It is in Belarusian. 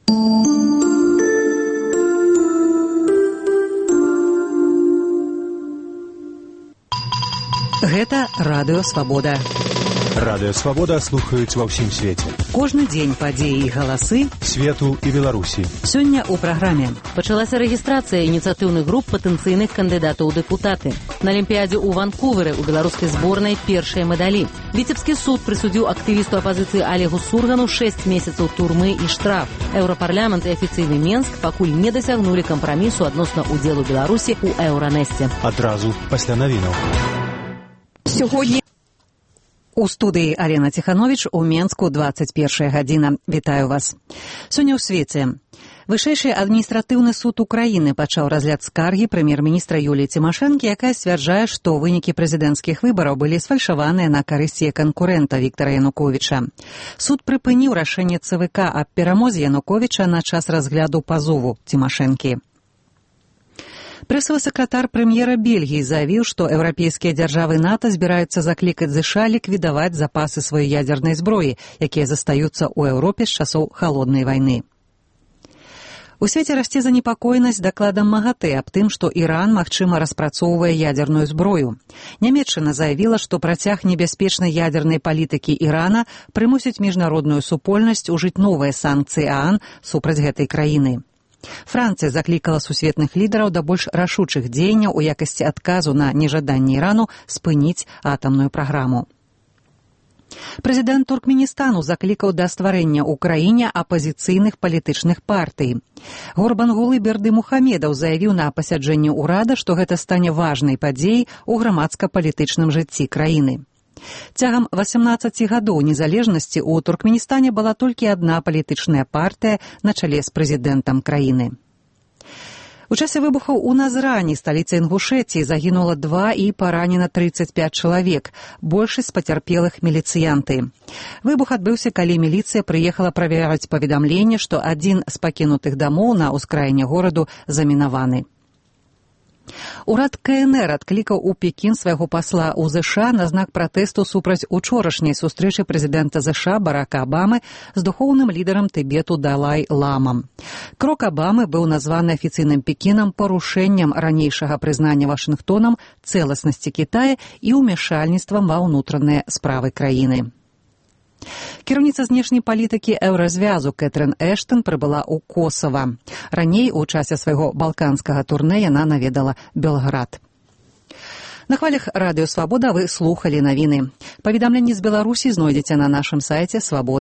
Гэта Радыё Свабода. Радыё Свабода слухаюць ва ўсім свеце. Кожны дзень падзеі і галасы свету і Беларусі. Сёння ў праграме. Пачалася рэгістрацыя ініцыятыўных груп патэнцыйных кандыдатаў у дэпутаты. На Алімпіядзе ў Ванкувэры ў беларускай зборнай першыя медалі. Віцебскі суд прысудзіў актывісту апазіцыі Олегу Сургану 6 месяцаў турмы і штраф. Еўрапарламент і афіцыйны Менск пакуль не дасягнулі кампрамісу адносна ўдзелу Беларусі ў Еўранэсце. Адразу пасля навінаў. Сьогодні у студыі Алена Ціхановіч у Менску 21 гадзіна. Вітаю вас. Сёння ў свеце. Вышэйшы адміністратыўны суд Украіны пачаў разгляд скаргі прэм'ер-міністра Юліі Цімашэнкі, якая сцвярджае, што вынікі прэзідэнцкіх выбараў былі сфальшаваныя на карысць яе канкурэнта Віктара Януковіча. Суд прыпыніў рашэнне ЦВК аб перамозе Януковіча на час разгляду пазову Цімашэнкі. Прэсавы сакратар прэм'ера Бельгіі заявіў, што еўрапейскія дзяржавы НАТО збіраюцца заклікаць ЗША ліквідаваць запасы сваёй ядзернай зброі, якія застаюцца ў Еўропе з часоў халоднай вайны. У свеце расце занепакоенасць дакладам МАГАТЭ аб тым, што Іран, магчыма, распрацоўвае ядзерную зброю. Нямецчына заявіла, што працяг небяспечнай ядзернай палітыкі Ірана прымусіць міжнародную супольнасць ужыць новыя санкцыі ААН супраць гэтай краіны. Францыя заклікала сусветных лідараў да больш рашучых дзеянняў у якасці адказу на нежаданне Ірану спыніць атамную праграму. Прэзідэнт Туркменістану заклікаў да стварэння ў краіне апазіцыйных палітычных партый. Гурбангулы Бердымухамедаў заявіў на пасяджэнні ўрада, што гэта стане важнай падзеяй у грамадска-палітычным жыцці краіны. Цягам 18 гадоў незалежнасці ў Туркменістане была толькі адна палітычная партыя на чале з прэзідэнтам краіны. У часе выбухаў у Назрани, сталіцы Інгушэтіі, загінула 2 і паранена 35 чалавек, большасць пацярпелых міліцыянты. Выбух адбыўся, калі міліцыя прыехала правяраць паведамленне, што адзін з пакінутых дамоў на ўскраіне гораду замінаваны. Урад КНР адклікаў у Пекін свайго пасла ў ЗША на знак пратэсту супраць учорашняй сустрэчы прэзідэнта ЗША Барака Абамы з духоўным лідарам Тыбету Далай-ламам. Крок Абамы быў названы афіцыйным Пекінам парушэннем ранейшага прызнання Вашынгтонам цэласнасці Кітая і ўмяшальніцтвам ва ўнутраныя справы краіны. Кіраўніца знешняй палітыкі Еўразвязу Кэтрын Эштон прыбыла ў Косава. Раней, у часе свайго балканскага турнэ, яна наведала Белград. На хвалях Радыё Свабода вы слухалі навіны. Паведамленні з Беларусі знойдзеце на нашым сайце Свабода.